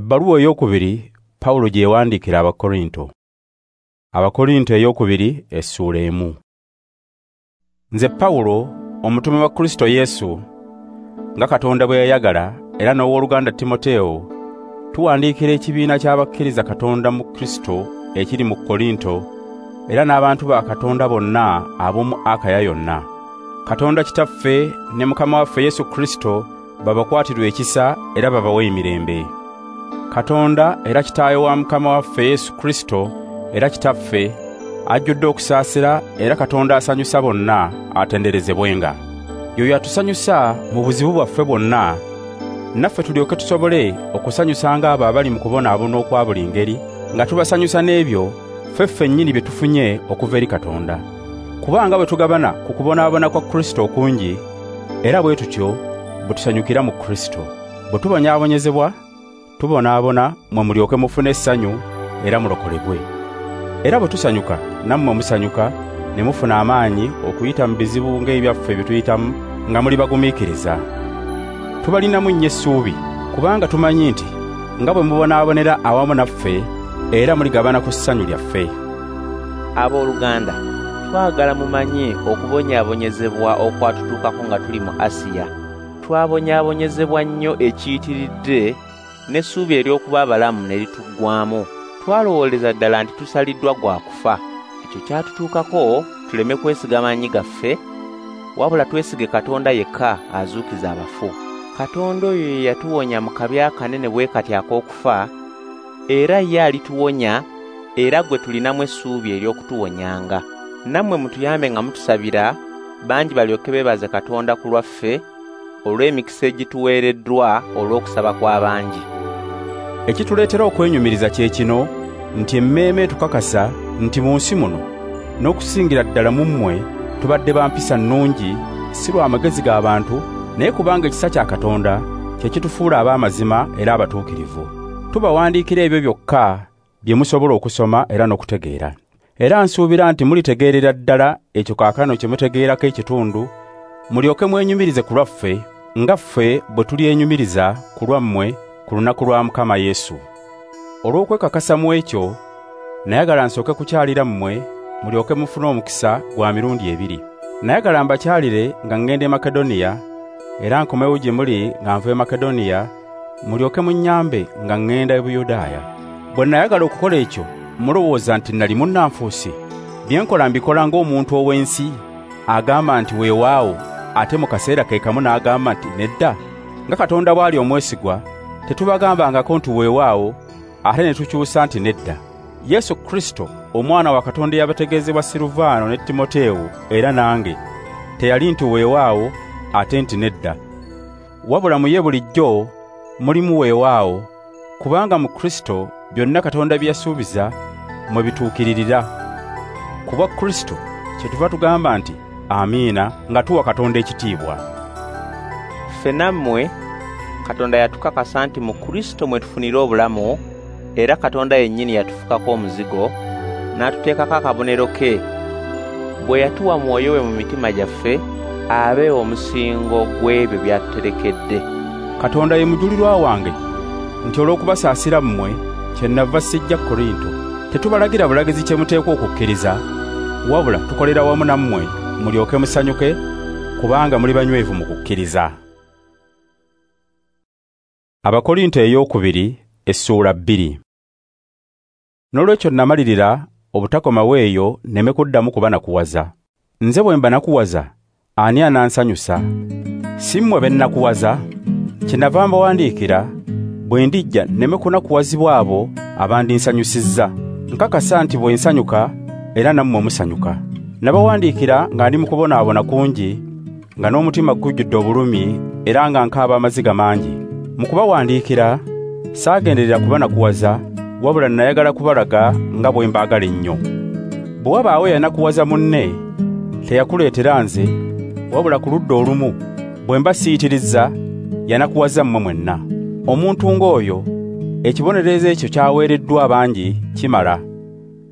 Ebbaluwa ey'okubiri Pawulo gye yawandiikira Abakorinto. Abakorinto ey'okubiri essuula 1. Nze Pawulo, omutume wa Kristo Yesu, nga Katonda bwe yayagala, era n'owooluganda Timoteewo, tuwandiikira ekibiina ky'abakkiriza Katonda mu Kristo ekiri mu Korinto, era n'abantu ba Katonda bonna ab'omu Akaya yonna. Katonda Kitaffe ne Mukama waffe Yesu Kristo babakwatirwe ekisa era babawe emirembe. Katonda era Kitaawe wa Mukama waffe Yesu Kristo era Kitaffe ajjudde okusaasira era Katonda asanyusa bonna atenderezebwenga. Y'oyo atusanyusa mu buzibu bwaffe bwonna, naffe tulyoke tusobole okusanyusanga abo abali mu kubonaabona okwa buli ngeri, nga tubasanyusa n'ebyo ffe ffennyini bye tufunye okuva eri Katonda. Kubanga bwe tugabana ku kubonaabona kwa Kristo okungi, era bwe tutyo bwe tusanyukira mu Kristo. Bwe tubonyaabonyezebwa, tubonaabona mmwe mulyoke mufune essanyu era mulokolebwe. Era bwe tusanyuka, nammwe musanyuka, ne mufuna amaanyi okuyita mu bizibu ng'ebyaffe bye tuyitamu nga muli bagumiikiriza. Tubalinamu nnyo essuubi, kubanga tumanyi nti nga bwe mubonaabonera awamu naffe, era muligabana ku ssanyu lyaffe. Abooluganda, twagala mumanye okubonyaabonyezebwa okwatutuukako nga tuli mu Asiya. Twabonyaabonyezebwa nnyo ekiyitiridde, n'essuubi ery'okuba abalamu ne lituggwaamu. Twalowooleza ddala nti tusaliddwa gwa kufa. Ekyo kyatutuukako tuleme kwesiga maanyi gaffe, wabula twesige Katonda yekka azuukiza abafu. Katonda oyo ye yatuwonya mu kabi akanene bwe kati ak'okufa, era ye alituwonya, era gwe tulinamu essuubi ery'okutuwonyanga. Nammwe mutuyambe nga mutusabira, bangi balyoke beebaze Katonda ku lwaffe olw'emikisa egituweereddwa olw'okusaba kw'abangi. Ekituleetera okwenyumiriza kye kino nti emmeeme etukakasa nti mu nsi muno n'okusingira ddala mu mmwe tubadde ba mpisa nnungi, si lwa magezi g'abantu, naye kubanga ekisa kya Katonda kye kitufuula ab'amazima era abatuukirivu. Tubawandiikira ebyo byokka bye musobola okusoma era n'okutegeera. Era nsuubira nti mulitegeerera ddala ekyo kaakano kye mutegeerako ekitundu, mulyoke mwenyumirize ku lwaffe nga ffe bwe tulyenyumiriza ku lwammwe ku lunaku lwa Mukama Yesu. Olw'okwekakasa mu ekyo, nayagala nsooke kukyalira mmwe mulyoke mufune omukisa gwa mirundi ebiri. Nayagala mbakyalire nga ŋŋenda e Makedoniya, era nkomewo gye muli nga nva e Makedoniya, mulyoke munnyambe nga ŋŋenda e Buyudaaya. Bwe nayagala okukola ekyo, mulowooza nti nali munnanfuusi? Bye nkola mbikola ng'omuntu ow'ensi agamba nti weewaawo, ate mu kaseera ke kamu n'agamba nti nedda. Nga Katonda bw'ali omwesigwa, tetubagambangako nti weewaawo, ate ne tukyusa nti nedda. Yesu Kristo, Omwana wa Katonda eyabategeezebwa Siruvaano ne Timoteewo era nange, teyali nti weewaawo ate nti nedda. Wabula mu ye bulijjo mulimu weewaawo, kubanga mu Kristo byonna Katonda bye yasuubiza mwe bituukiririra. Ku bwa Kristo kyetuva tugamba nti amiina, nga tuwa Katonda ekitiibwa. Ffe nammwe Katonda yatukakasa nti mu Kristo mwe tufunira obulamu, era Katonda yennyini yatufukako omuzigo, n'atuteekako akabonero ke. Bwe yatuwa Mwoyo we mu mitima gyaffe, abe omusingo gw'ebyo by'atuterekedde. Katonda ye mujulirwa wange nti olw'okubasaasira mmwe kyennava sijja Korinto. Tetubalagira bulagizi kye muteekwa okukkiriza, wabula tukolera wamu nammwe mulyoke musanyuke, kubanga muli banywevu mu kukkiriza. Abakorinto ey'okubiri essuula 2. N'olwekyo namalirira obutakomawo eyo nneme kuddamu kubanakuwaza. Nze bwe mbanakuwaza, ani anansanyusa? Si mmwe be nnakuwaza? Kyenava mbawandiikira bwe ndijja nneme kunakuwazibwa abo abandinsanyusizza. Nkakasa nti bwe nsanyuka era nammwe musanyuka. Nabawandiikira nga ndi mu kubonaabona kungi, nga n'omutima gujjudde obulumi era nga nkaaba amaziga mangi. Mu kubawandiikira saagenderera kubanakuwaza, wabula nayagala kubalaga nga bwe mbaagala ennyo. Bwe wabaawo yanakuwaza munne, teyakuleetera nze, wabula ku ludda olumu bwe mba siyitirizza, yanakuwaza mmwe mwenna. Omuntu ng'oyo ekibonerezo ekyo kyaweereddwa abangi kimala.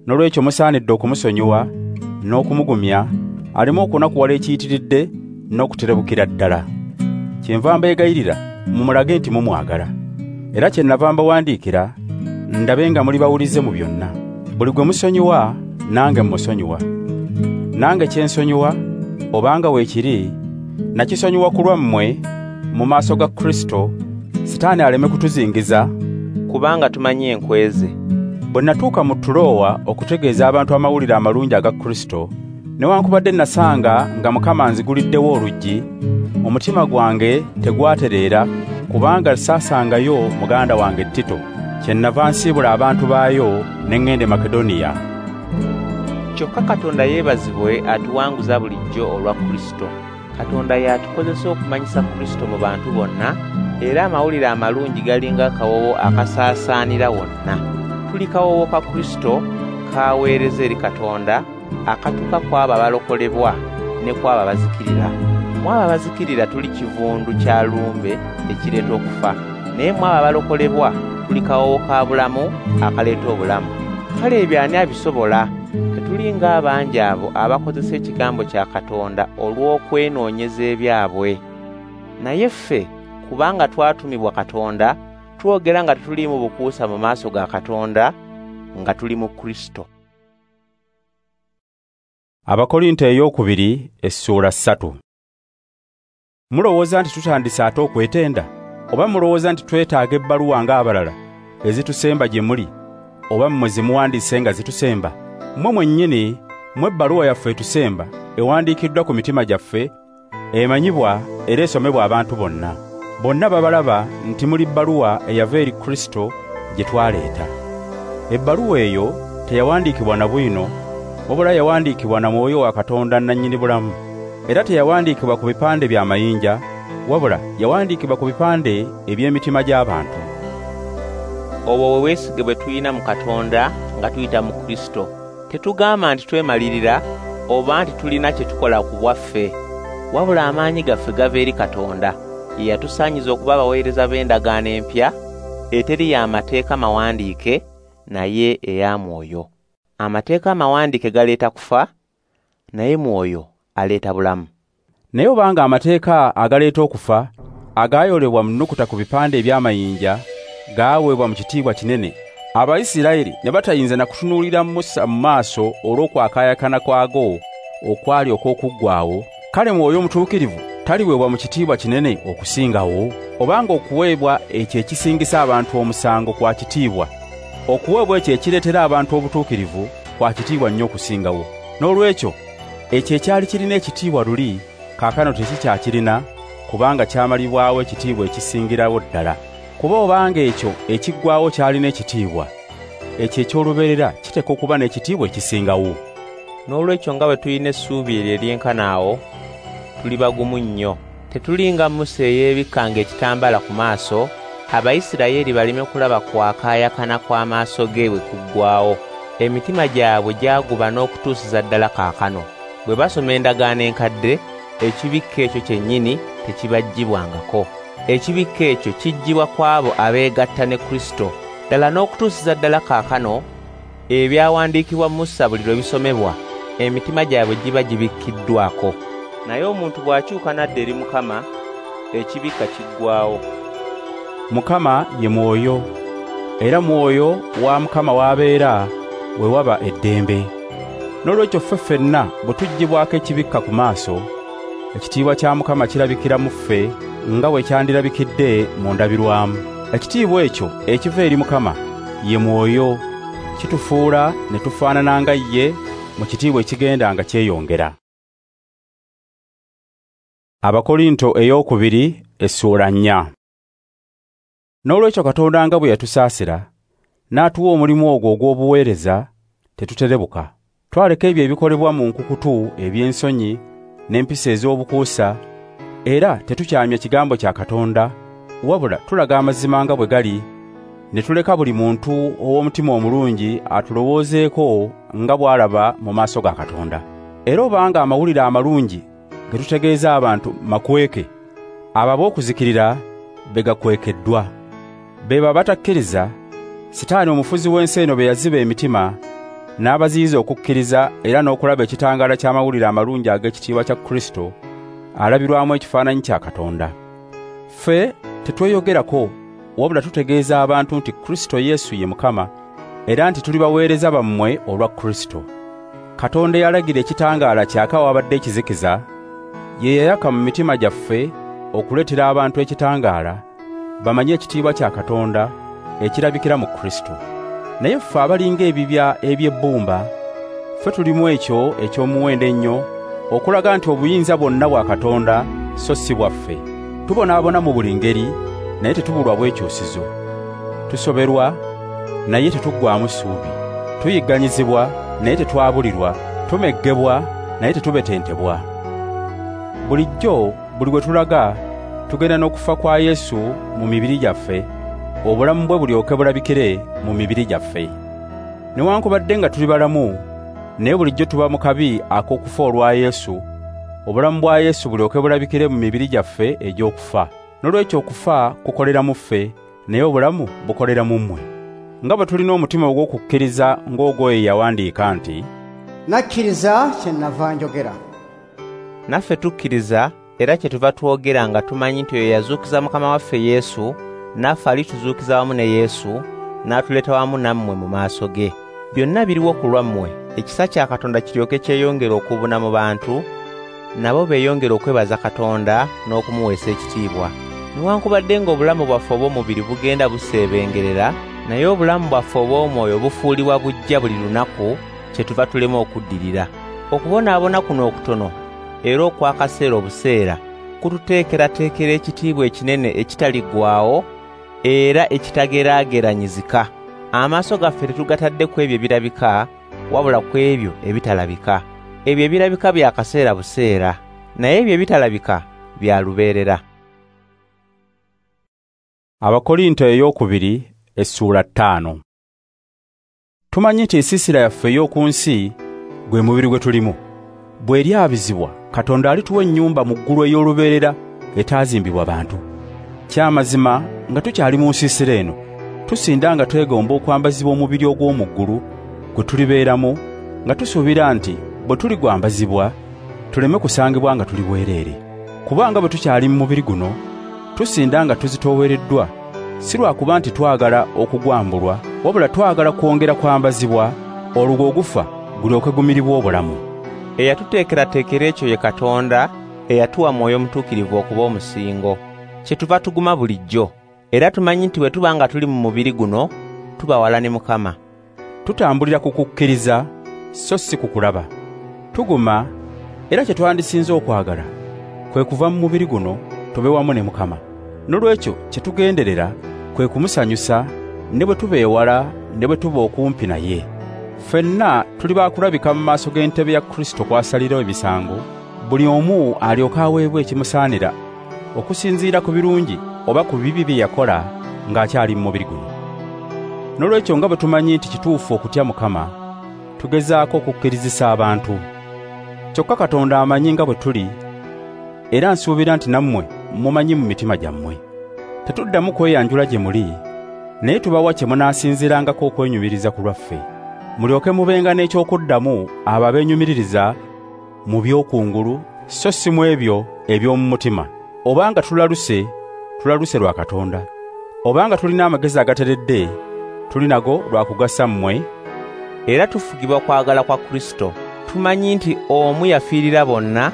N'olwekyo musaanidde okumusonyiwa n'okumugumya, aleme okunakuwala ekiyitiridde n'okuterebukira ddala. Kyenva mbeegayirira mumulage nti mumwagala. Era kye nnava mbawandiikira ndabe nga muli bawulize mu byonna. Buli gwe musonyiwa nange mmusonyiwa. Nange kye nsonyiwa obanga weekiri nakisonyiwa ku lwammwe mu maaso ga Kristo, Sitaani aleme kutuzingiza, kubanga tumanyi enkwe ze. Bwe natuuka mu Tulowa okutegeeza abantu amawulire amalungi aga Kristo, newankubadde nasanga nga Mukama anziguliddewo oluggi, omutima gwange tegwatereera kubanga saasangayo muganda wange Tito. Kyennava nsiibula abantu baayo ne ŋŋenda e Makedoniya. Kyokka Katonda yeebazibwe atuwanguza bulijjo olwa Kristo. Katonda y'atukozesa okumanyisa Kristo mu bantu bonna, era amawulire amalungi galinga akawoowo akasaasaanira wonna. Tuli kawoowo ka Kristo k'aweereza eri Katonda, akatuuka ku abo abalokolebwa ne ku abo abazikirira. Mu abo abazikirira tuli kivundu kya lumbe ekireeta okufa, naye mu abo abalokolebwa tuli kawoowo ka bulamu akaleeta obulamu. Kale ebyo ani abisobola? Tetuli ng'abangi abo abakozesa ekigambo kya Katonda olw'okwenoonyeza ebyabwe. Naye ffe, kubanga twatumibwa Katonda, twogera nga tetuliimu bukuusa mu maaso ga Katonda, nga tuli mu Kristo. Abakorinto ey'okubiri essuula 3. Mulowooza nti tutandise ate okwetenda? Oba mulowooza nti twetaaga ebbaluwa ng'abalala ezitusemba gye muli, oba mmwe ze muwandiise nga zitusemba? Mmwe mwennyini mmwe ebbaluwa yaffe etusemba ewandiikiddwa ku mitima gyaffe, emanyibwa era esomebwa abantu bonna. Bonna babalaba nti muli bbaluwa eyava eri Kristo gye twaleeta. Ebbaluwa eyo teyawandiikibwa na bwino, wabula yawandiikibwa na Mwoyo wa Katonda nnannyini bulamu. Era teyawandiikibwa ku bipande bya mayinja, wabula yawandiikibwa ku bipande eby'emitima gy'abantu. Obwo bwe bwesige bwe tulina mu Katonda nga tuyita mu Kristo. Tetugamba nti twemalirira oba nti tulina kye tukola ku bwaffe, wabula amaanyi gaffe gava eri Katonda. Ye yatusaanyiza okuba abaweereza b'endagaano empya, eteri y'amateeka mawandiike, naye eya Mwoyo. Amateeka amawandiike galeeta kufa, naye Mwoyo aleeta bulamu. Naye obanga amateeka agaleeta okufa agaayolebwa mu nnukuta ku bipande eby'amayinja gaaweebwa mu kitiibwa kinene, Abayisirayiri ne batayinza na kutunuulira Musa mu maaso olw'okwakaayakana kwago okwali okw'okuggwaawo, kale Mwoyo Omutuukirivu taliweebwa mu kitiibwa kinene okusingawo? Obanga okuweebwa ekyo ekisingisa abantu omusango kwa kitiibwa, okuweebwa ekyo ekireetera abantu obutuukirivu kwa kitiibwa nnyo okusingawo. N'olwekyo ekyo ekyali kirina ekitiibwa luli kaakano tekikyakirina, kubanga kyamalibwawo ekitiibwa ekisingirawo ddala. Kuba obanga ekyo ekiggwaawo kyalina ekitiibwa, ekyo eky'olubeerera kiteekwa okuba n'ekitiibwa ekisingawo. N'olwekyo nga bwe tulina essuubi eryo eryenkana awo, tuli bagumu nnyo. Tetuli nga Musa eyeebikkanga ekitambaala ku maaso, Abayisirayiri baleme kulaba kwakaayakana kw'amaaso ge bwe kuggwaawo. Emitima gyabwe gyaguba n'okutuusiza ddala kaakano. Bwe basoma endagaano enkadde, ekibikka ekyo kyennyini tekibaggyibwangako. Ekibikka ekyo kiggyibwa ku abo abeegatta ne Kristo. Ddala n'okutuusiza ddala kaakano, ebyawandiikibwa Musa buli lwe bisomebwa, emitima gyabwe giba gibikkiddwako. Naye omuntu bw'akyuka n'adda eri Mukama, ekibikka kiggwaawo. Mukama ye Mwoyo, era Mwoyo wa Mukama w'abeera we waba eddembe. N'olwekyo ffe ffenna bwe tuggyibwako ekibikka ku maaso, ekitiibwa kya Mukama kirabikira mu ffe nga bwe kyandirabikidde mu ndabirwamu. Ekitiibwa ekyo ekiva eri Mukama ye Mwoyo, kitufuula ne tufaanana nga ye mu kitiibwa ekigenda nga kyeyongera. Abakorinto ey'okubiri essuula 4. N'olwekyo Katonda nga bwe yatusaasira n'atuwa omulimu ogwo ogw'obuweereza, tetuterebuka. Twaleka ebyo ebikolebwa mu nkukutu eby'ensonyi n'empisa ez'obukuusa, era tetukyamya kigambo kya Katonda, wabula tulaga amazima nga bwe gali, ne tuleka buli muntu ow'omutima omulungi atulowoozeeko nga bw'alaba mu maaso ga Katonda. Era obanga amawulire amalungi ge tutegeeza abantu makweke, abo ab'okuzikirira be gakwekeddwa. Be batakkiriza, Sitaani omufuzi w'ensi eno be yaziba emitima n'abaziyiza okukkiriza era n'okulaba ekitangaala ky'amawulire amalungi ag'ekitiibwa kya Kristo alabirwamu ekifaananyi kya Katonda. Ffe tetweyogerako, wabula tutegeeza abantu nti Kristo Yesu ye Mukama, era nti tuli baweereza bammwe olwa Kristo. Katonda yalagira ekitangaala kyaka wabadde ekizikiza, ye yayaka mu mitima gyaffe okuleetera abantu ekitangaala, bamanye ekitiibwa kya Katonda ekirabikira mu Kristo. Naye ffe abalinga ebibya eby'ebbumba, ffe tulimu ekyo eky'omuwendo ennyo, okulaga nti obuyinza bwonna bwa Katonda so si bwaffe. Tubonaabona mu buli ngeri, naye tetubulwa bwekyusizo. Tusoberwa, naye tetuggwaamu ssuubi. Tuyigganyizibwa, naye tetwabulirwa. Tumeggebwa, naye tetubetentebwa. Bulijjo buli gwe tulaga tugenda n'okufa kwa Yesu mu mibiri gyaffe, obulamu bwe bulyoke bulabikire mu mibiri gyaffe. Newankubadde nga tuli balamu, naye bulijjo tuba mu kabi ak'okufa olwa Yesu, obulamu bwa Yesu bulyoke bulabikire mu mibiri gyaffe egy'okufa. N'olwekyo okufa kukolera mu ffe, naye obulamu bukolera mu mmwe. Nga bwe tulina omutima ogw'okukkiriza ng'ogwo yawandiika nti, "Nakkiriza kye nnava njogera." Naffe tukkiriza era kye tuva twogera nga tumanyi nti oyo yazuukiza Mukama waffe Yesu, naffe alituzuukiza wamu ne Yesu, n'atuleeta wamu nammwe mu maaso ge. Byonna biriwo ku lwammwe, ekisa kya Katonda kiryoke kyeyongere okubuna mu bantu, nabo beeyongere okwebaza Katonda n'okumuweesa ekitiibwa. Newankubadde ng'obulamu bwaffe obw'omubiri bugenda buseebengerera, naye obulamu bwaffe obw'omwoyo bufuulibwa buggya buli lunaku, kye tuva tulema okuddirira. Okubonaabona kuno okutono era okw'akaseera obuseera kututeekerateekera ekitiibwa ekinene ekitaliggwaawo era ekitageraageranyizika. Amaaso gaffe tetugatadde ku ebyo ebirabika, wabula ku ebyo ebitalabika. Ebyo ebirabika bya kaseera buseera, naye ebyo ebitalabika bya lubeerera. Abakorinto ey'okubiri essuula 5. Tumanyi nti ensiisira yaffe ey'oku nsi gwe mubiri gwe tulimu, bw'eryabizibwa, Katonda alituwa ennyumba mu ggulu ey'olubeerera etaazimbibwa bantu. Kyamazima nga tukyali mu nsiisira eno, tusinda nga twegomba okwambazibwa omubiri ogw'omu ggulu gwe tulibeeramu, nga tusuubira nti bwe tuligwambazibwa tuleme kusangibwa nga tuli bwereere. Kubanga bwe tukyali mu mubiri guno, tusinda nga tuzitoowereddwa, si lwakuba nti twagala okugwambulwa, wabula twagala kwongera kwambazibwa, olwo ogufa gulyoke gumiribwe obulamu. Eyatuteekerateekera ekyo ye Katonda eyatuwa Mwoyo Mutuukirivu okuba omusingo. Kye tuva tuguma bulijjo, era tumanyi nti bwe tuba nga tuli mu mubiri guno, tuba wala ne Mukama. Tutambulira ku kukkiriza, so si ku kulaba. Tuguma, era kye twandisinze okwagala kwe kuva mu mubiri guno tube wamu ne Mukama. N'olwekyo kye tugenderera kwe kumusanyusa, ne bwe tuba ewala ne bwe tuba okumpi naye. Ffenna tuli baakulabika mu maaso g'entebe ya Kristo kw'asalirawo emisango, buli omu alyoke aweebwe ekimusaanira okusinziira ku birungi oba ku bibi bye yakola ng'akyali mu mubiri guno. N'olwekyo nga bwe tumanyi nti kituufu okutya Mukama, tugezaako okukkirizisa abantu. Kyokka Katonda amanyi nga bwe tuli, era nsuubira nti nammwe mumanyi mu mitima gyammwe. Tetuddamu kweyanjula gye muli, naye tubawa kye munaasinziirangako okwenyumiriza ku lwaffe, mulyoke mubenga n'ekyokuddamu abo abeenyumiririza mu by'okungulu, so si mu ebyo eby'omu mutima. Obanga tulaluse, tulaluse lwa Katonda. Obanga tulina amagezi agateredde, tuli nago lwa kugasa mmwe. Era tufugibwa kwagala kwa Kristo. Tumanyi nti omu yafiirira bonna,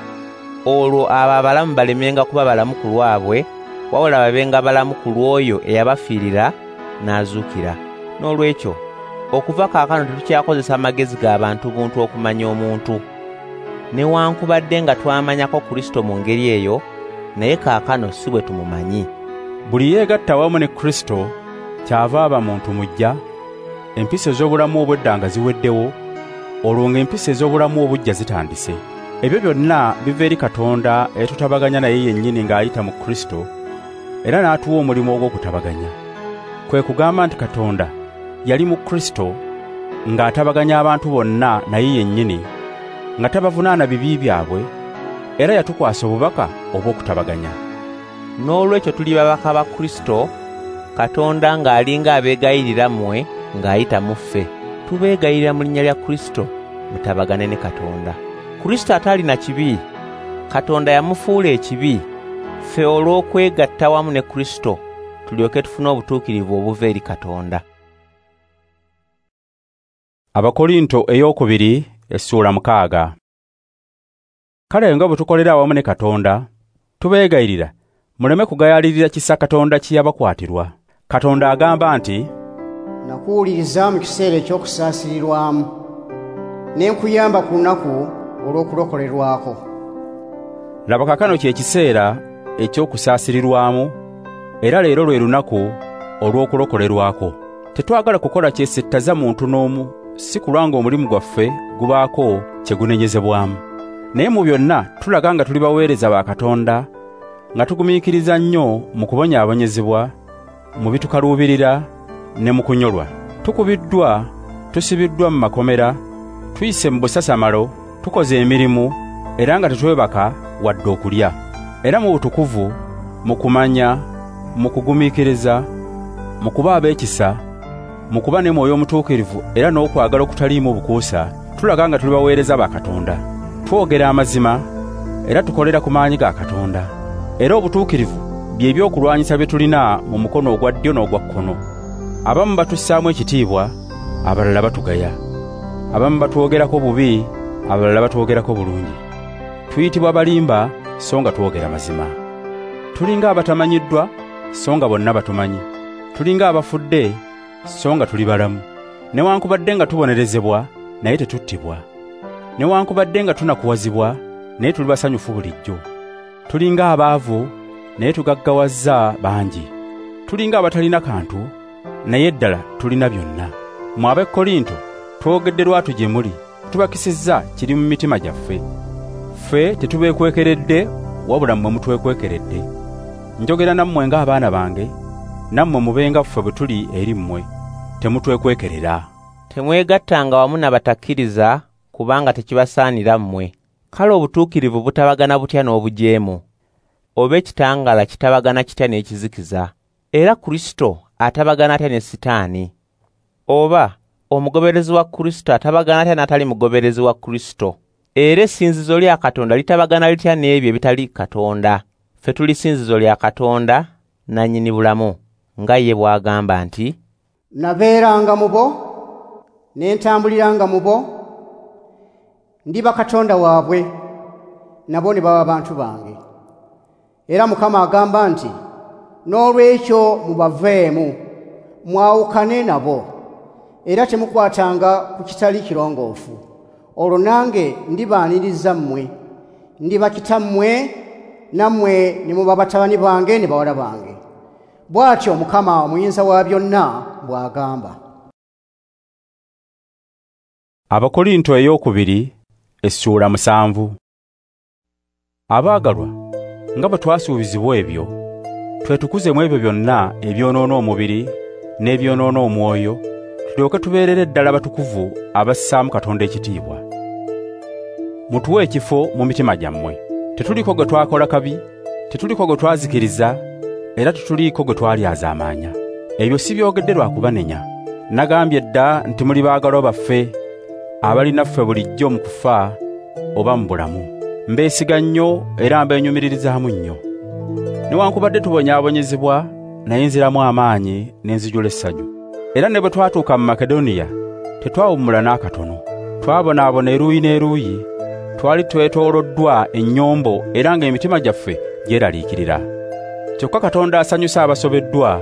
olwo abo abalamu balemenga kuba balamu ku lwabwe, wabula babenga balamu ku lw'oyo eyabafiirira n'azuukira. N'olwekyo okuva kaakano tetukyakozesa amagezi g'abantu buntu okumanya omuntu. Newankubadde nga twamanyako Kristo mu ngeri eyo, naye kaakano si bwe tumumanyi. Buli yeegatta wamu ne Kristo kyava aba muntu muggya, empisa ez'obulamu obwedda nga ziweddewo, olwo ng'empisa ez'obulamu obuggya zitandise. Ebyo byonna biva eri Katonda etutabaganya naye yennyini ng'ayita mu Kristo, era n'atuwa omulimu ogw'okutabaganya. Kwe kugamba nti Katonda yali mu Kristo ng'atabaganya abantu bonna naye yennyini, nga tabavunaana bibi byabwe, era yatukwasa obubaka obw'okutabaganya. N'olwekyo tuli babaka ba Kristo, Katonda ng'alinga abeegayirira mmwe ng'ayita mu ffe. Tubeegayirira mu linnya lya Kristo, mutabagane ne Katonda. Kristo atalina kibi, Katonda yamufuula ekibi, ffe olw'okwegatta wamu ne Kristo, tulyoke tufune obutuukirivu obuva eri Katonda. Abakorinto ey'okubiri essuula 6. Kale nga bwe tukolera awamu ne Katonda, tubeegayirira muleme kugayaalirira kisa Katonda kye yabakwatirwa. Katonda agamba nti, nakuwuliriza mu kiseera eky'okusaasirirwamu, ne nkuyamba ku lunaku olw'okulokolerwako. Laba kaakano kye kiseera eky'okusaasirirwamu, era leero lwe lunaku olw'okulokolerwako. Tetwagala kukola kyesittaza muntu n'omu, si kulwa ng'omulimu gwaffe gubaako kye gunenyezebwamu. Naye mu byonna tulaga nga tuli baweereza ba Katonda, nga tugumiikiriza nnyo mu kubonyaabonyezebwa, mu bitukaluubirira ne mu kunyolwa. Tukubiddwa, tusibiddwa mu makomera, tuyise mu busasamalo, tukoze emirimu, era nga tetwebaka wadde okulya. Era mu butukuvu, mu kumanya, mu kugumiikiriza, mu kuba ab'ekisa, mu kuba ne Mwoyo Omutuukirivu era n'okwagala okutaliimu bukuusa, tulaga nga tuli baweereza ba Katonda. Twogera amazima era tukolera ku maanyi ga Katonda. Era obutuukirivu bye by'okulwanyisa bye tulina mu mukono ogwa ddyo n'ogwa kkono. Abamu batussaamu ekitiibwa, abalala batugaya. Abamu batwogerako bubi, abalala batwogerako bulungi. Tuyitibwa balimba, so nga twogera mazima. Tulinga abatamanyiddwa, so nga bonna batumanyi. Tulinga abafudde, so nga tuli balamu. Newankubadde nga tubonerezebwa, naye tetuttibwa. Newankubadde nga tunakuwazibwa, naye tuli basanyufu bulijjo. Tulinga abaavu, naye tugaggawazza bangi. Tulinga abatalina kantu, naye ddala tulina byonna. Mmwe ab'e Korinto, twogedde lwatu gye muli, tubakisizza kiri mu mitima gyaffe. Ffe tetubeekwekeredde, wabula mmwe mutwekwekeredde. Njogera nammwe ng'abaana bange, nammwe mubenga ffe bwe tuli eri mmwe, temutwekwekerera. Temwegattanga wamu n'abatakkiriza, kubanga tekibasaanira mmwe. Kale obutuukirivu butabagana butya n'obujeemu? Oba ekitangaala kitabagana kitya n'ekizikiza? Era Kristo atabagana atya ne Sitaani? Oba omugoberezi wa Kristo atabagana atya n'atali mugoberezi wa Kristo? Era essinzizo lya Katonda litabagana litya n'ebyo ebitali Katonda? Ffe tuli ssinzizo lya Katonda nannyini bulamu, nga ye bw'agamba nti, nabeeranga mu bo, ne ntambuliranga mu bo, ndiba Katonda waabwe, nabo ne baba bantu bange. Era Mukama agamba nti, n'olwekyo mubaveemu, mwawukane nabo, era temukwatanga ku kitali kirongoofu. Olwo nange ndibaaniriza mmwe, ndiba kitammwe, nammwe ne muba batabani bange ne bawala bange. Bw'atyo Mukama Omuyinza wa byonna bw'agamba. Abakorinto ey'okubiri essuula 7. Abaagalwa, nga bwe twasuubizibwa ebyo, twetukuze mu ebyo byonna ebyonoona omubiri n'ebyonoona omwoyo, tulyoke tubeerere ddala batukuvu abassaamu Katonda ekitiibwa. Mutuwe ekifo mu mitima gyammwe. Tetuliko gwe twakola kabi, tetuliko gwe twazikiriza, era tetuliiko gwe twalyazaamaanya. Ebyo si byogedde lwa kubanenya. Nagambye dda nti muli baagalwa baffe, abalinaffe bulijjo mu kufa oba mu bulamu. Mbeesiga nnyo era mbeenyumiririzaamu nnyo. Newankubadde tubonyaabonyezebwa, naye nziramu amaanyi ne nzijula essanyu. Era ne bwe twatuuka mu Makedoniya, tetwawummula n'akatono. Twabonaabona eruuyi n'eruuyi, twali twetooloddwa ennyombo era ng'emitima gyaffe gyeraliikirira. Kyokka Katonda asanyusa abasobeddwa,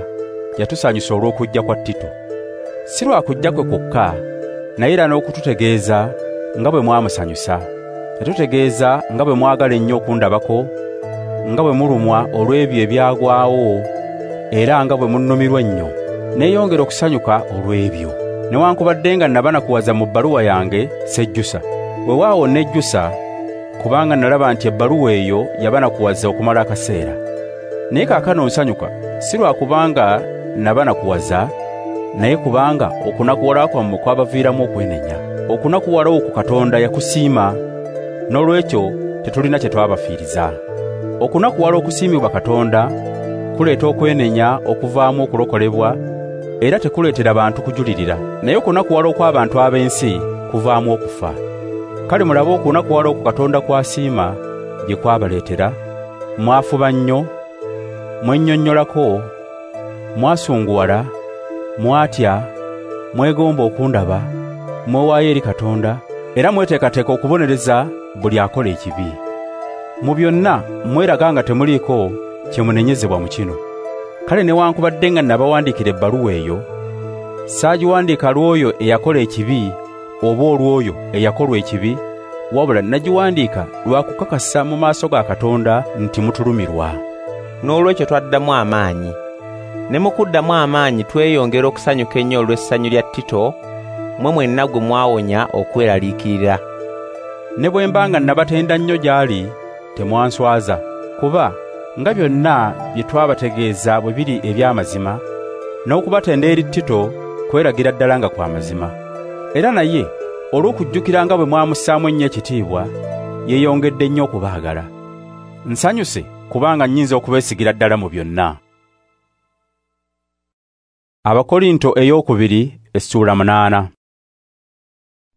yatusanyusa olw'okujja kwa Tito. Si lwa kujja kwe kwokka, naye era n'okututegeeza nga bwe mwamusanyusa. Yatutegeeza nga bwe mwagala ennyo okundabako, nga bwe mulumwa olw'ebyo ebyagwawo, era nga bwe munnumirwa ennyo. Neeyongera okusanyuka olw'ebyo. Newankubadde nga nabanakuwaza mu bbaluwa yange, sejjusa. Weewaawo nejjusa, kubanga nalaba nti ebbaluwa eyo yabanakuwaza okumala akaseera. Naye kaakano nsanyuka, si lwa kubanga nabanakuwaza, naye kubanga okunakuwala kwammwe kwabaviiramu okwenenya. Okunakuwala okwo Katonda yakusiima, n'olwekyo tetulina kye twabafiiriza. Okunakuwala okusiimibwa Katonda kuleeta okwenenya okuvaamu okulokolebwa, era tekuleetera bantu kujulirira. Naye okunakuwala okw'abantu ab'ensi kuvaamu okufa. Kale mulabe okunakuwala okwo Katonda kw'asiima gye kwabaleetera. Mwafuba nnyo, mwennyonnyolako, Mwasunguwala, mwatya, mwegomba okundaba, mwewaayo eri Katonda, era mweteekateeka okubonereza buli akola ekibi. Mu byonna mweraga nga temuliiko kye munenyezebwa mu kino. Kale newankubadde nga nabawandiikira ebbaluwa eyo, saagiwandiika lw'oyo eyakola ekibi oba olw'oyo eyakolwa ekibi, wabula nagiwandiika lwa kukakasa mu maaso ga Katonda nti mutulumirwa. N'olwekyo twaddamu amaanyi. Ne mu kuddamu amaanyi tweyongera okusanyuka ennyo olw'essanyu lya Tito, mmwe mwenna gwe mwawonya okweraliikirira. Ne bwe mba nga nabatenda nnyo gy'ali, temwanswaza, kuba nga byonna bye twabategeeza bwe biri eby'amazima, n'okubatenda eri Tito kweragira ddala nga kwa mazima. Era naye olw'okujjukira nga bwe mwamussaamu ennyo ekitiibwa, yeeyongedde nnyo okubaagala. Nsanyuse kubanga nnyinza okubeesigira ddala mu byonna. Abakorinto ey'okubiri essuula 8.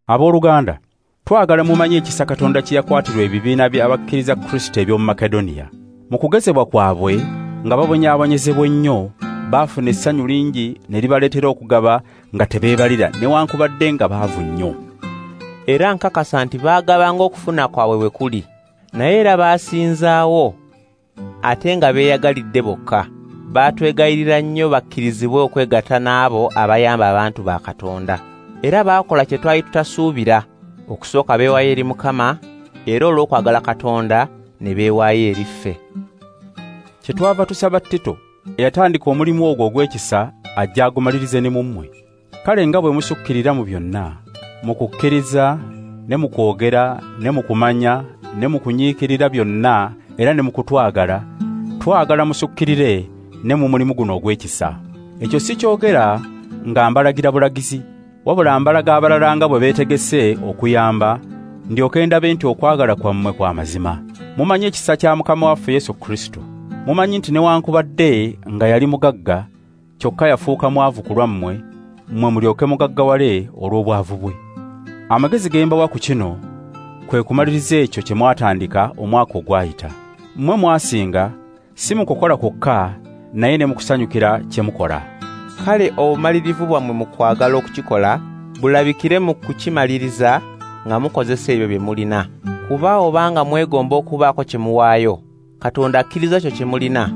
Abooluganda, twagala mumanye ekisa Katonda kye yakwatirwa ebibiina by'abakkiriza Kristo eby'omu Makedoniya. Mu kugezebwa kwabwe nga babonyaabonyezebwa ennyo, baafuna essanyu lingi ne libaleetera okugaba nga tebeebalira newankubadde nga baavu nnyo. Era nkakasa nti baagabanga okufuna kwabwe bwe kuli, naye era baasinzaawo ate nga beeyagalidde bokka. Baatwegayirira nnyo bakkirizibwe okwegatta n'abo abayamba abantu ba Katonda. Era baakola kye twali tutasuubira, okusooka beewaayo eri Mukama, era olw'okwagala Katonda ne beewaayo eri ffe. Kyetwava tusaba Tito eyatandika omulimu ogwo ogw'ekisa ajja agumalirize ne mu mmwe. Kale nga bwe musukkirira mu byonna, mu kukkiriza, ne mu kwogera, ne mu kumanya, ne mu kunyiikirira byonna, era ne mu kutwagala, twagala musukkirire ne mu mulimu guno ogw'ekisa. Ekyo si kyogera nga mbalagira bulagizi, wabula mbalaga abalala nga bwe beetegese okuyamba, ndyoke ndabe nti okwagala kwammwe kwa mazima. Mumanyi ekisa kya Mukama waffe Yesu Kristo. Mumanyi nti newankubadde nga yali mugagga, kyokka yafuuka mwavu ku lwammwe, mmwe mulyoke mugaggawale olw'obwavu bwe. Amagezi ge mbawa ku kino kwe kumaliriza ekyo kye mwatandika omwaka ogwayita. Mmwe mwasinga si mu kukola kwokka, naye ne mu kusanyukira kye mukola. Kale obumalirivu bwammwe mu kwagala okukikola bulabikire mu kukimaliriza nga mukozesa ebyo bye mulina. Kuba obanga mwegomba okubaako kye muwaayo, Katonda akkiriza kyo kye mulina,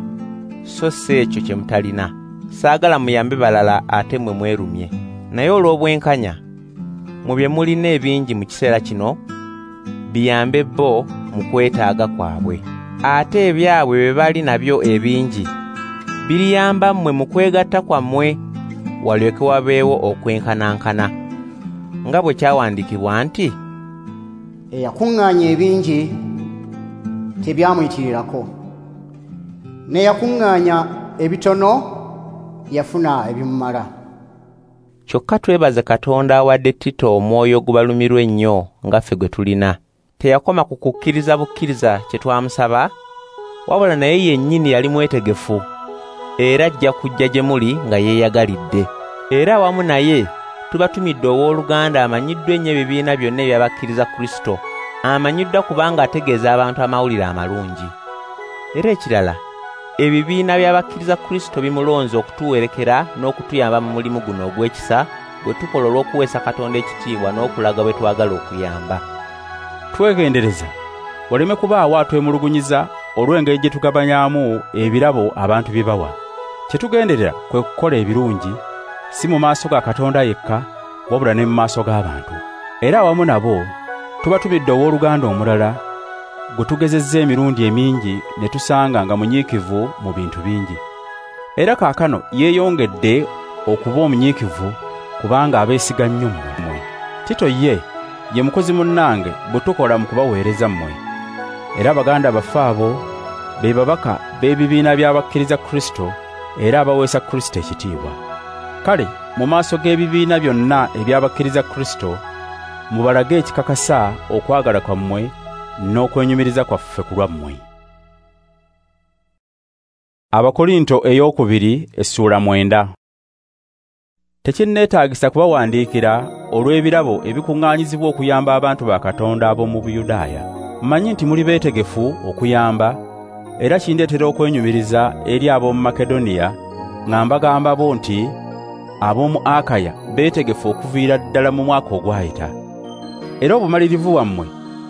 so si ekyo kye mutalina. Saagala muyambe balala ate mmwe mwerumye. Naye olw'obwenkanya, mu bye mulina ebingi mu kiseera kino, biyambe bo mu kwetaaga kwabwe. Ate ebyabwe bye bali nabyo ebingi biriyamba mmwe mu kwegatta kwammwe, walyoke wabeewo okwenkanankana. Nga bwe kyawandiikibwa nti, eyakuŋŋaanya ebingi tebyamuyitirirako, n'eyakuŋŋaanya ebitono yafuna ebimumala. Kyokka twebaze Katonda awadde Tito omwoyo ogubalumirwa ennyo nga ffe gwe tulina. Teyakoma ku kukkiriza bukkiriza kye twamusaba, wabula naye yennyini yali mwetegefu, era ajja kujja gye muli nga yeeyagalidde. Era awamu naye tubatumidde owooluganda amanyiddwa ennyo ebibiina byonna eby'abakkiriza Kristo, amanyiddwa kubanga ategeeza abantu amawulire amalungi. Era ekirala, ebibiina by'abakkiriza Kristo bimulonze okutuwerekera n'okutuyamba mu mulimu guno ogw'ekisa gwe tukola olw'okuweesa Katonda ekitiibwa n'okulaga bwe twagala okuyamba. Twegendereza waleme kubaawo atwemulugunyiza olw'engeri gye tugabanyaamu ebirabo abantu bye bawa. Kye tugenderera kwe kukola ebirungi, si mu maaso ga Katonda yekka, wabula ne mu maaso g'abantu. Era awamu nabo tubatumidde owooluganda omulala gwe tugezezza emirundi emingi ne tusanga nga munyiikivu mu bintu bingi. Era kaakano yeeyongedde okuba omunyiikivu kubanga abeesiga nnyo mmwe. Tito ye mukozi munnange bwe tukola mu kubaweereza mmwe. Era baganda baffe abo be babaka b'ebibiina by'abakkiriza Kristo era abaweesa Kristo ekitiibwa. Kale mu maaso g'ebibiina byonna eby'abakkiriza Kristo mubalage ekikakasa okwagala kwammwe n'okwenyumiriza kwaffe ku lwammwe. Abakorinto ey'okubiri essuula 9. Tekinneetaagisa kubawandiikira olw'ebirabo ebikuŋŋaanyizibwa okuyamba abantu ba Katonda ab'omu Buyudaaya. Mmanyi nti muli beetegefu okuyamba, era kindeetera okwenyumiriza eri ab'omu Makedoniya nga mbagamba bo nti ab'omu Akaya beetegefu okuviira ddala mu mwaka ogwayita. Era obumalirivu bwammwe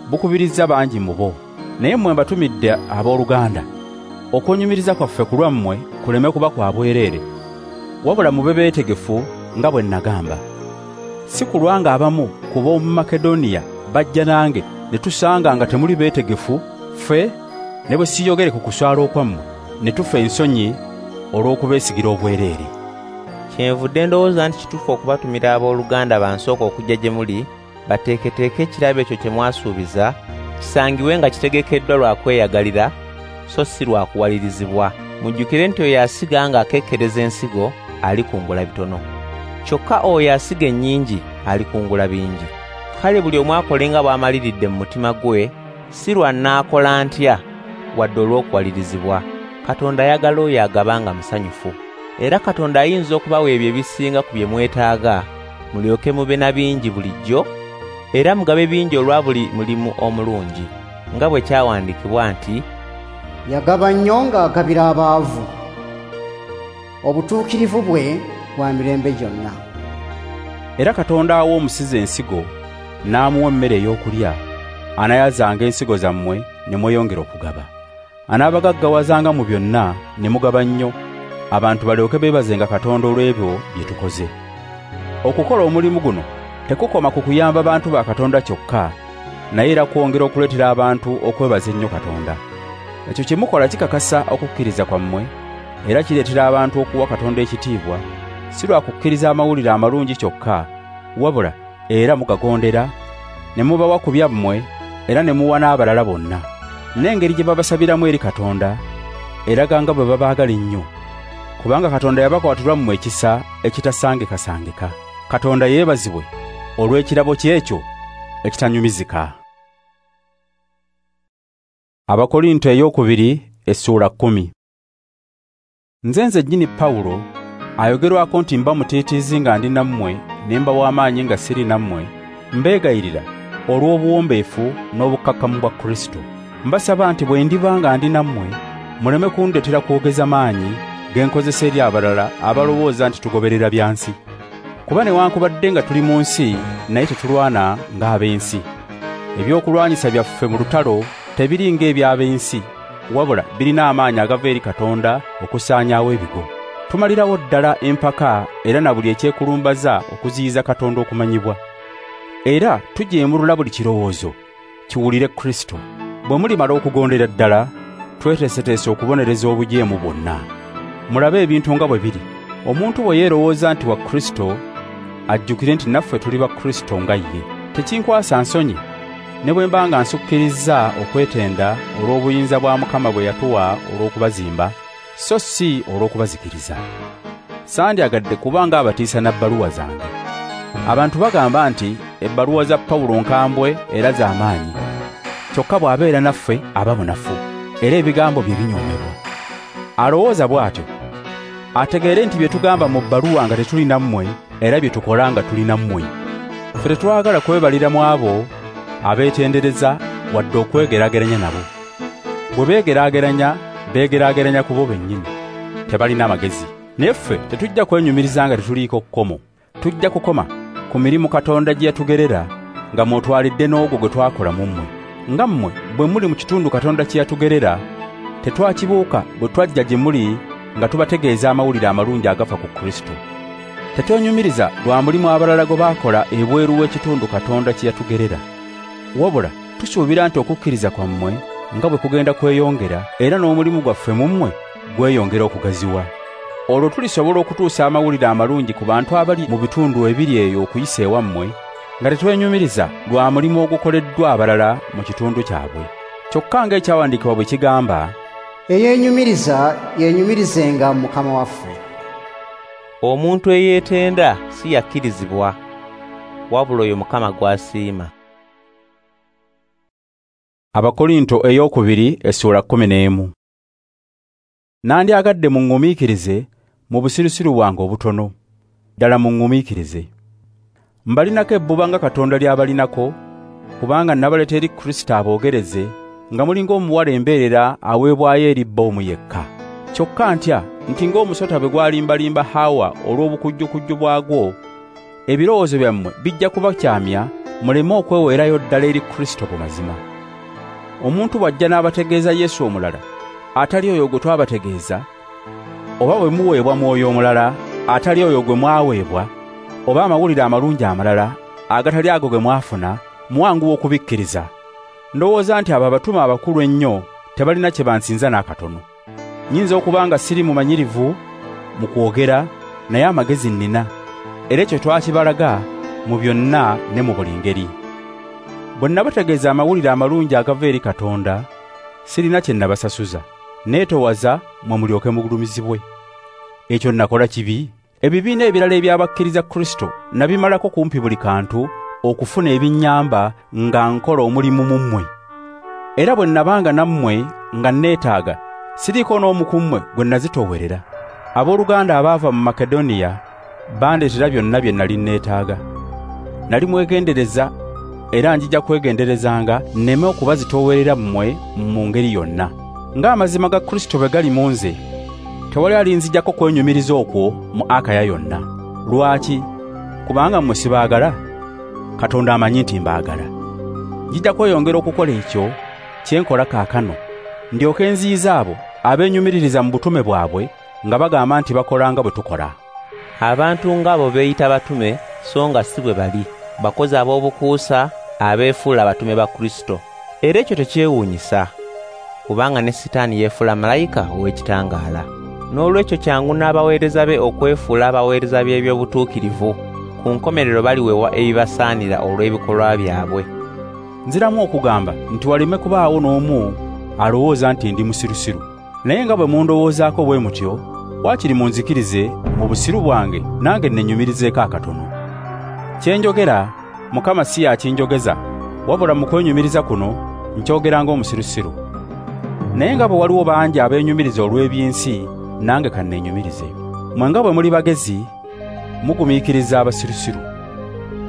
bukubirizza bangi mu bo. Naye mmwe mbatumidde abooluganda, okwenyumiriza kwaffe ku lwammwe kuleme kuba kwa bwereere, wabula mube beetegefu nga bwe nagamba. Si kulwanga abamu ku b'omu Makedoniya bajja nange ne tusanga nga temuli beetegefu, ffe ne bwe siyogere ku kuswala okwammwe ne tufa ensonyi olw'okubeesigira obwereere. Kyenvudde ndowooza nti kituufu okubatumira abooluganda bansooka okujja gye muli, bateeketeeke ekirabo ekyo kye mwasuubiza, kisangibwe nga kitegekeddwa lwa kweyagalira, so si lwa kuwalirizibwa. Mujjukire nti oyo asiga ng'akekkereza ensigo alikungula bitono, kyokka oyo asiga ennyingi alikungula bingi. Kale buli omu akole nga bw'amaliridde mu mutima gwe, si lwa nnaakola ntya wadde olw'okuwalirizibwa. Katonda ayagala oyo agaba nga musanyufu. Era Katonda ayinza okubawa ebyo ebisinga ku bye mwetaaga, mulyoke mube na bingi bulijjo, era mugabe bingi olwa buli mulimu omulungi, nga bwe kyawandiikibwa nti, yagaba nnyo ng'agabira abaavu, obutuukirivu bwe bwa mirembe gyonna. Era Katonda awa omusizi ensigo n'amuwa emmere ey'okulya, anayazanga ensigo zammwe ne mweyongera okugaba. Anaabagaggawazanga mu byonna ne mugaba nnyo, abantu balyoke beebazenga Katonda olw'ebyo bye tukoze. Okukola omulimu guno tekukoma ku kuyamba bantu ba Katonda kyokka, naye era kwongera okuleetera abantu okwebaza ennyo Katonda. Ekyo kye mukola kikakasa okukkiriza kwammwe, era kireetera abantu okuwa Katonda ekitiibwa, si lwa kukkiriza amawulire amalungi kyokka, wabula era mugagondera, ne mubawa ku byammwe era ne muwa n'abalala bonna. N'engeri gye babasabiramu eri Katonda eraga nga bwe babaagala ennyo, kubanga Katonda yabakwatirwa mmwe ekisa ekitasangekasangeka. Katonda yeebazibwe olw'ekirabo kye ekyo ekitanyumizika. Abakorinto ey'okubiri essuula 10. Nze nnyini Pawulo ayogerwako nti mba mutiitiizi nga ndi nammwe ne mba w'amaanyi nga siri nammwe, mbeegayirira olw'obuwombeefu n'obukkakkamu bwa Kristo. Mbasaba nti bwe ndiba nga ndi nammwe muleme kundeetera kwogeza maanyi ge nkozesa eri abalala abalowooza nti tugoberera bya nsi. Kuba newankubadde nga tuli mu nsi, naye tetulwana ng'ab'ensi. Ebyokulwanyisa byaffe mu lutalo tebiri ng'eby'ab'ensi, wabula birina amaanyi agava eri Katonda okusaanyaawo ebigo. Tumalirawo ddala empaka era na buli ekyekulumbaza okuziyiza Katonda okumanyibwa. Era tujeemulula buli kirowoozo kiwulire Kristo. Bwe mulimala okugondera ddala, tweteeseteese okubonereza obujeemu bwonna. Mulabe ebintu nga bwe biri. Omuntu bwe yeerowooza nti wa Kristo, ajjukire nti naffe tuli ba Kristo nga ye. Tekinkwasa nsonyi ne bwe mba nga nsukkirizza okwetenda olw'obuyinza bwa Mukama bwe yatuwa olw'okubazimba, so si olw'okubazikiriza. Sandyagadde kubanga abatiisa na bbaluwa zange. Abantu bagamba nti ebbaluwa za Pawulo nkambwe era z'amaanyi, kyokka bw'abeera naffe aba munafu, era ebigambo bye binyoomebwa. Alowooza bw'atyo ategeere nti bye tugamba mu bbaluwa nga tetuli nammwe era bye tukola nga tuli nammwe. Ffe tetwagala kwebalira mu abo abeetendereza wadde okwegeraageranya nabo. Bwe beegeraageranya, beegeraageranya ku bo bennyini, tebalina magezi. Naye ffe tetujja kwenyumiriza nga tetuliiko kkomo. Tujja kukoma ku mirimu Katonda gye yatugerera nga mw'otwalidde n'ogwo gwe twakola mu mmwe. Nga mmwe bwe muli mu kitundu Katonda kye yatugerera, tetwakibuuka bwe twajja gye muli nga tubategeeza amawulire amalungi agafa ku Kristo. Tetwenyumiriza lwa mulimu abalala gwe baakola ebweru w'ekitundu Katonda kye yatugerera. Wabula tusuubira nti okukkiriza kwammwe nga bwe kugenda kweyongera, era n'omulimu gwaffe mu mmwe gweyongera okugaziwa. Olwo tulisobola okutuusa amawulire amalungi ku bantu abali mu bitundu ebiri eyo okuyisa ewammwe, nga tetwenyumiriza lwa mulimu ogukoleddwa abalala mu kitundu kyabwe. Kyokka ng'ekyawandiikibwa bwe kigamba, eyeenyumiriza yeenyumirizenga mu Mukama waffe. Omuntu eyeetenda si yakkirizibwa, wabula oyo Mukama gw'asiima. Abakorinto ey'okubiri essuula 11. Nandyagadde muŋŋumiikirize mu busirusiru bwange obutono, ddala muŋŋumiikirize. Mbalinako ebbuba nga Katonda ly'abalinako, kubanga nabaleeta eri Kristo aboogereze nga muli ng'omuwala embeerera aweebwayo eri bba omu yekka. Kyokka ntya nti ng'omusota bwe gwalimbalimba Hawa olw'obukujjukujju bwagwo, ebirowoozo byammwe bijja kubakyamya muleme okweweerayo ddala eri Kristo mu mazima. Omuntu bw'ajja n'abategeeza Yesu omulala atali oyo gwe twabategeeza, oba bwe muweebwa mwoyo omulala atali oyo gwe mwaweebwa, oba amawulire amalungi amalala agatali ago ge mwafuna, mwanguwa okubikkiriza. Ndowooza nti abo abatume abakulu ennyo tebalina kye bansinza n'akatono. Nnyinza okuba nga siri mumanyirivu mu kwogera, naye amagezi nnina, era ekyo twakibalaga mu byonna ne mu buli ngeri. Bwe nabategeeza amawulire amalungi agava eri Katonda, sirina kye nabasasuza. Neetowaza mmwe mulyoke mugulumizibwe. Ekyo nakola kibi? Ebibiina ebirala eby'abakkiriza Kristo nabimalako kumpi buli kantu okufuna ebinnyamba nga nkola omulimu mu mmwe. Era bwe nabanga nammwe nga neetaaga, siriiko n'omu ku mmwe gwe nazitoowerera. Abooluganda abaava mu Makedoniya bandeetera byonna bye nali neetaaga. Nali mwegendereza era njija kwegenderezanga nneme okubazitoowerera mmwe mu ngeri yonna. Ng'amazima ga Kristo bwe gali mu nze, tewali alinzijjako kwenyumiriza okwo mu Akaya yonna. Lwaki? Kubanga mmwe sibaagala? Katonda amanyi nti mbaagala. Njija kweyongera okukola ekyo kye nkola kaakano, ndyoke nziyize abo abeenyumiririza mu butume bwabwe nga bagamba nti bakola nga bwe tukola. Abantu ng'abo beeyita batume so nga si bwe bali, bakozi ab'obukuusa abeefuula abatume ba Kristo. Era ekyo tekyewuunyisa, kubanga ne Sitaani yeefuula malayika ow'ekitangaala. N'olwekyo kyangu n'abaweereza be okwefuula abaweereza b'ebyobutuukirivu. Ku nkomerero baliweebwa ebibasaanira olw'ebikolwa byabwe. Nziramu okugamba nti waleme kubaawo n'omu alowooza nti ndi musirusiru. Naye nga bwe mundowoozaako bwe mutyo, waakiri munzikirize mu busiru bwange nange nnenyumirizeeko akatono. Kye njogera Mukama si yakinjogeza, wabula mu kwenyumiriza kuno nkyogera ng'omusirusiru. Naye nga bwe waliwo bangi abeenyumiriza olw'ebyensi, nange kanneenyumirize. Mmwe nga bwe muli bagezi, mugumiikiriza abasirusiru.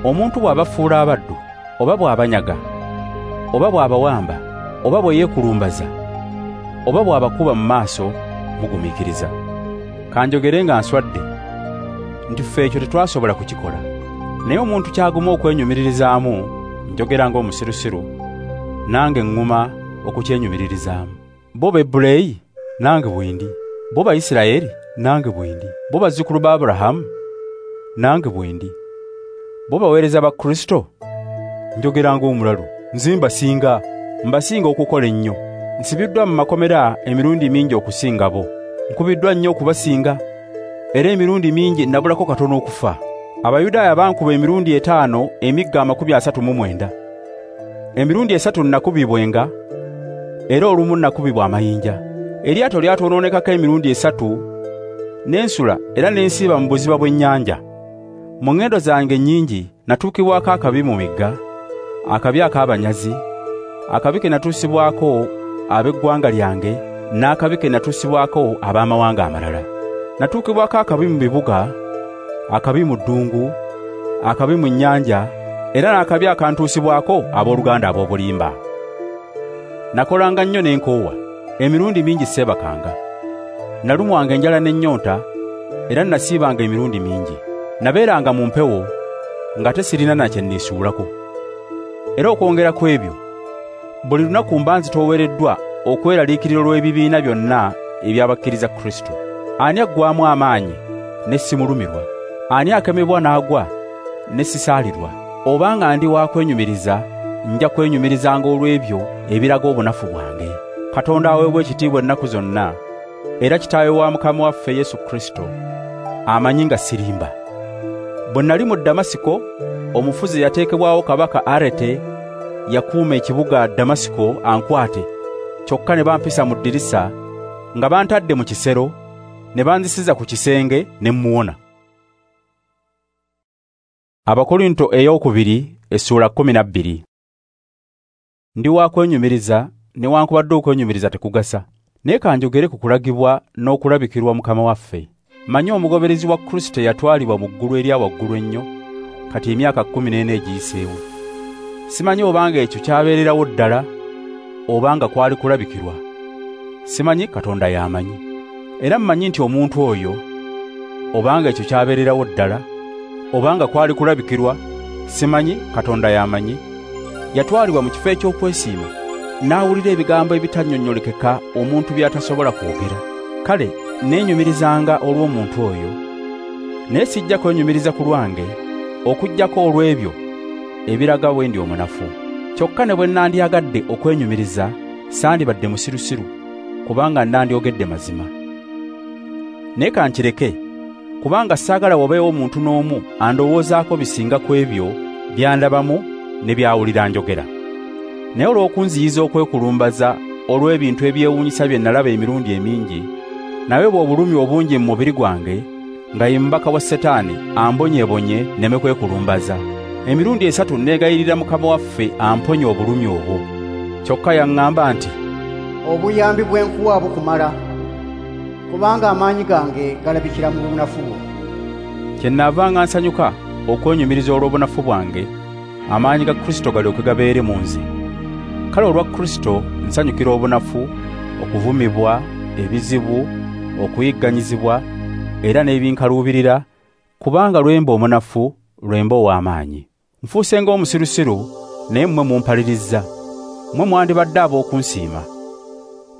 Omuntu bw'abafuula abaddu, oba bw'abanyaga, oba bw'abawamba, oba bwe yeekulumbaza, oba bw'abakuba mu maaso, mugumiikiriza. Kanjogere nga nswadde nti ffe ekyo tetwasobola kukikola. Naye omuntu ky'aguma okwenyumiririzaamu, njogera ng'omusirusiru, nange ŋŋuma okukyenyumiririzaamu. Bo Bebbuleyi, nange bwe ndi. Bo Bayisirayeli, nange bwe ndi. Bo bazzukulu ba Aburahamu, nange bwe ndi. Bo baweereza ba Kristo, njogera ng'omulalu, nze mbasinga okukola ennyo. Nsibiddwa mu makomera emirundi mingi okusinga bo. Nkubiddwa nnyo okubasinga, era emirundi mingi nabulako katono okufa. Abayudaaya bankuba emirundi 5 emigga 39. Emirundi 3 nakubibwenga, era olumu nakubibwa amayinja. Eryato lyatwonoonekako emirundi 3, n'ensula era n'ensiiba mu buziba bw'ennyanja. Mu ŋŋendo zange nnyingi natuukibwako akabi mu migga, akabi ak'abanyazi, akabi ke natuusibwako ab'eggwanga lyange, n'akabi ke natuusibwako ab'amawanga amalala. Natuukibwako akabi mu bibuga, akabi mu ddungu, akabi mu nnyanja, era n'akabi akantuusibwako abooluganda ab'obulimba. Nakolanga nnyo n'enkoowa, emirundi mingi seebakanga. Nalumwanga enjala n'ennyonta, era nasiibanga emirundi mingi. Nabeeranga mu mpewo nga tesirina na kye nneesuulako. Era okwongera ku ebyo, buli lunaku mba nzitoowereddwa okweraliikirira olw'ebibiina byonna eby'abakkiriza Kristo. Ani aggwaamu amaanyi ne simulumirwa? Ani akemebwa n'agwa ne sisaalirwa? Obanga ndi wa kwenyumiriza, nja kwenyumirizanga olw'ebyo ebiraga obunafu bwange. Katonda aweebwa ekitiibwa ennaku zonna, era Kitaawe wa Mukama waffe Yesu Kristo, amanyi nga sirimba. Bwe nali mu Damasiko, omufuzi yateekebwawo kabaka Arete yakuuma ekibuga Damasiko ankwate, kyokka ne bampisa mu ddirisa nga bantadde mu kisero, ne banzisiza ku kisenge ne mmuwona. Abakorinto ey'okubiri essuula 12. Ndi wa kwenyumiriza newankubadde okwenyumiriza tekugasa, naye kanjogere ku kulagibwa n'okulabikirwa Mukama waffe. Mmanyi omugoberezi wa Kristo yatwalibwa mu ggulu erya waggulu ennyo, kati emyaka 14 egiyiseewo. Simanyi obanga ekyo kyabeererawo ddala obanga kwali kulabikirwa. Simanyi, Katonda y'amanyi. Era mmanyi nti omuntu oyo, obanga ekyo kyabeererawo ddala, obanga kwali kulabikirwa, simanyi, Katonda y'amanyi, yatwalibwa mu kifo eky'okwesiima, n'awulira ebigambo ebitannyonnyolekeka omuntu by'atasobola kwogera. Kale neenyumirizanga olw'omuntu oyo, naye sijja kwenyumiriza ku lwange, okuggyako olw'ebyo ebiraga bwe ndi omunafu. Kyokka ne bwe nandyagadde okwenyumiriza, sandibadde musirusiru, kubanga nandyogedde mazima. Naye kankireke, kubanga saagala wabeewo omuntu n'omu andowoozaako bisinga ku ebyo by'andabamu ne by'awulira njogera. Naye olw'okunziyiza okwekulumbaza olw'ebintu ebyewuunyisa bye nalaba emirundi emingi, naweebwa obulumi obungi mu mubiri gwange, nga ye mubaka wa Setaani ambonyeebonye nneme kwekulumbaza. Emirundi 3 neegayirira Mukama waffe amponye obulumi obwo. Kyokka yaŋŋamba nti, obuyambi bwe nkuwa bukumala, kubanga amaanyi gange galabikira mu bunafu bwo. Kyennaavanga nsanyuka okwenyumiriza olw'obunafu bwange, amaanyi ga Kristo galyoke gabeere mu nze. Kale olwa Kristo nsanyukira obunafu, okuvumibwa, ebizibu, okuyigganyizibwa, era n'ebinkaluubirira, kubanga lwe mba omunafu, lwe mba ow'amaanyi. Nfuuse ng'omusirusiru, naye mmwe mumpalirizza. Mmwe mwandibadde ab'okunsiima.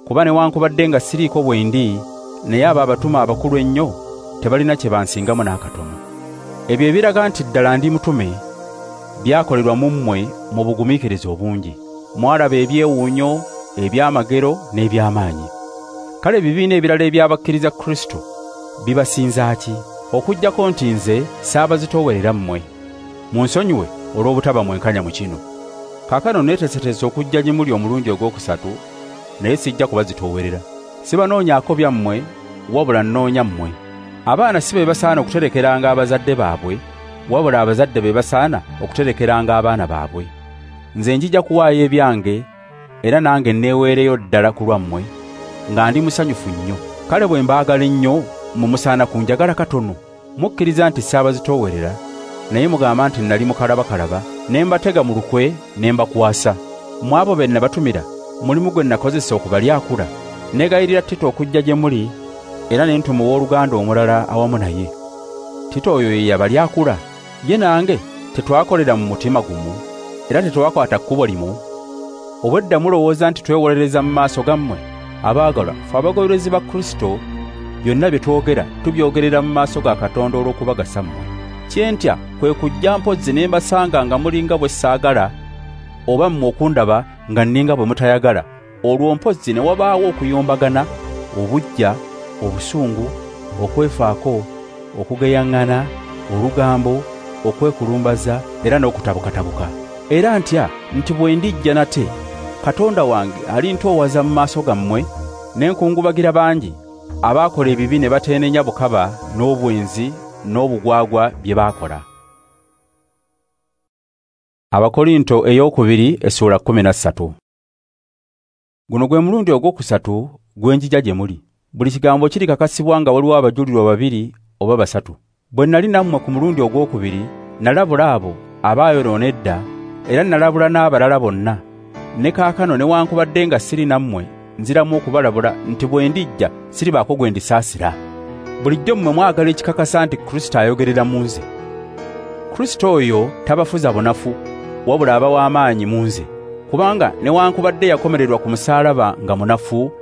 Kuba newankubadde nga siriiko bwe ndi, naye abo abatume abakulu ennyo tebalina kye bansingamu n'akatono. Ebyo ebiraga nti ddala ndi mutume byakolerwa mu mmwe mu bugumiikiriza obungi. Mwalaba ebyewuunyo, ebyamagero n'ebyamaanyi. Kale ebibiina ebirala eby'abakkiriza Kristo bibasinza ki? Okuggyako nti nze saabazitoowerera mmwe. Munsonyiwe olw'obutaba mwenkanya mu kino. Kaakano neeteeseteese okujja gye muli omulundi ogwokusatu, naye sijja kubazitoowerera. Sibanoonyaako byammwe, wabula nnoonya mmwe. Abaana si be basaana okuterekeranga abazadde baabwe, wabula abazadde be basaana okuterekeranga abaana baabwe. Nze njija kuwaayo ebyange, era nange neeweereyo ddala ku lwammwe, nga ndi musanyufu nnyo. Kale bwe mbaagala ennyo, mumusaana kunjagala katono. Mukkiriza nti saabazitoowerera, naye mugamba nti nali mukalabakalaba, ne mbatega mu lukwe ne mbakwasa. Mu abo be nabatumira, mulimu gwe nakozesa okubalyakula. Neegayirira Tito okujja gye muli, era ne ntuma owooluganda omulala awamu naye. Tito oyo ye yabalyakula, ye nange tetwakolera mu mutima gumu, era tetwakwata kkubo limu. Obwedda mulowooza nti twewolereza mu maaso gammwe? Abaagalwa, ffe abagoberezi ba Kristo, byonna bye twogera tubyogerera mu maaso ga Katonda olw'okubagasa mmwe. Kye ntya kwe kujja mpozzi ne mbasanga nga mulinga bwe saagala, oba mmwe okundaba nga nninga bwe mutayagala, olwo mpozzi ne wabaawo okuyombagana, obuggya, obusungu, okwefaako, okugeyaŋŋana, olugambo, okwekulumbaza era n'okutabukatabuka. Era ntya nti bwe ndijja nate, Katonda wange alintoowaza mu maaso gammwe, ne nkungubagira bangi abaakola ebibi ne bateenenya bukaba n'obwenzi n'obugwagwa bye baakola. Abakorinto ey'okubiri essuula 13. Guno gwe mulundi ogwokusatu gwe njija gye muli. Buli kigambo kirikakasibwa nga waliwo abajulirwa 2 oba 3. Bwe nali nammwe ku mulundi ogwokubiri, nalabula abo abaayonoona edda, era nalabula n'abalala bonna. Ne kaakano newankubadde nga siri nammwe, nziramu okubalabula nti bwe ndijja siribaako gwe ndisaasira. Bulijjo mmwe mwagala ekikakasa nti Kristo ayogerera mu nze. Kristo oyo tabafuza bunafu, wabula abawa amaanyi mu nze. Kubanga newankubadde yakomererwa ku musaalaba nga munafu,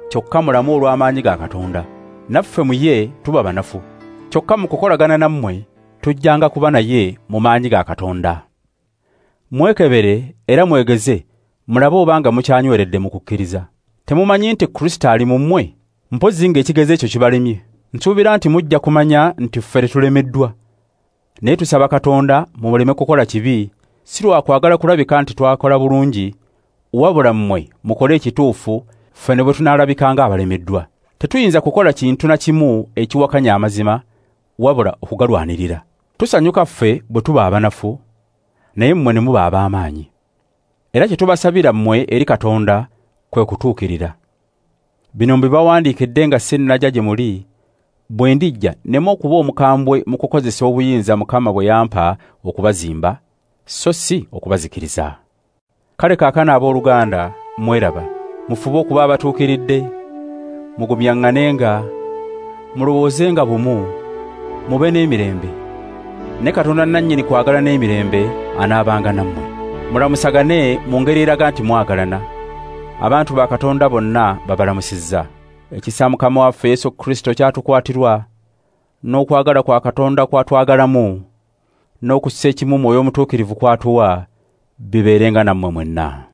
kyokka mulamu olw'amaanyi ga Katonda. Naffe mu ye tuba banafu, kyokka mu kukolagana nammwe tujjanga kuba naye mu maanyi ga Katonda. Mwekebere era mwegeze, mulabe obanga mukyanyweredde mu kukkiriza. Temumanyi nti Kristo ali mu mmwe? Mpozzi ng'ekigezo ekyo kibalemye. Nsuubira nti mujja kumanya nti ffe tetulemeddwa. Naye tusaba Katonda mumuleme kukola kibi, si lwa kwagala kulabika nti twakola bulungi, wabula mmwe mukole ekituufu, ffe ne bwe tunaalabika ng'abalemeddwa. Tetuyinza kukola kintu na kimu ekiwakanya amazima, wabula okugalwanirira. Tusanyuka ffe bwe tuba abanafu, naye mmwe ne muba ab'amaanyi. Era kye tubasabira mmwe eri Katonda kwe kutuukirira. Bino mbibawandiikidde nga sinnajja gye muli, bwe ndijja nneme okuba omukambwe mu kukozesa obuyinza Mukama bwe yampa okubazimba, so si okubazikiriza. Kale kaakano abooluganda mweraba, mufube okuba abatuukiridde, mugumyaŋŋanenga, Mulowoozenga bumu, mube n'emirembe. Ne Katonda nannyini kwagala n'emirembe anaabanga nammwe. Mulamusagane mu ngeri eraga nti mwagalana. Abantu ba Katonda bonna babalamusizza. Ekisa Mukama waffe Yesu Kristo kyatukwatirwa, n'okwagala kwa Katonda kwatwagalamu, n'okussa ekimu Mwoyo Omutuukirivu kwatuwa, bibeerenga nammwe mwenna.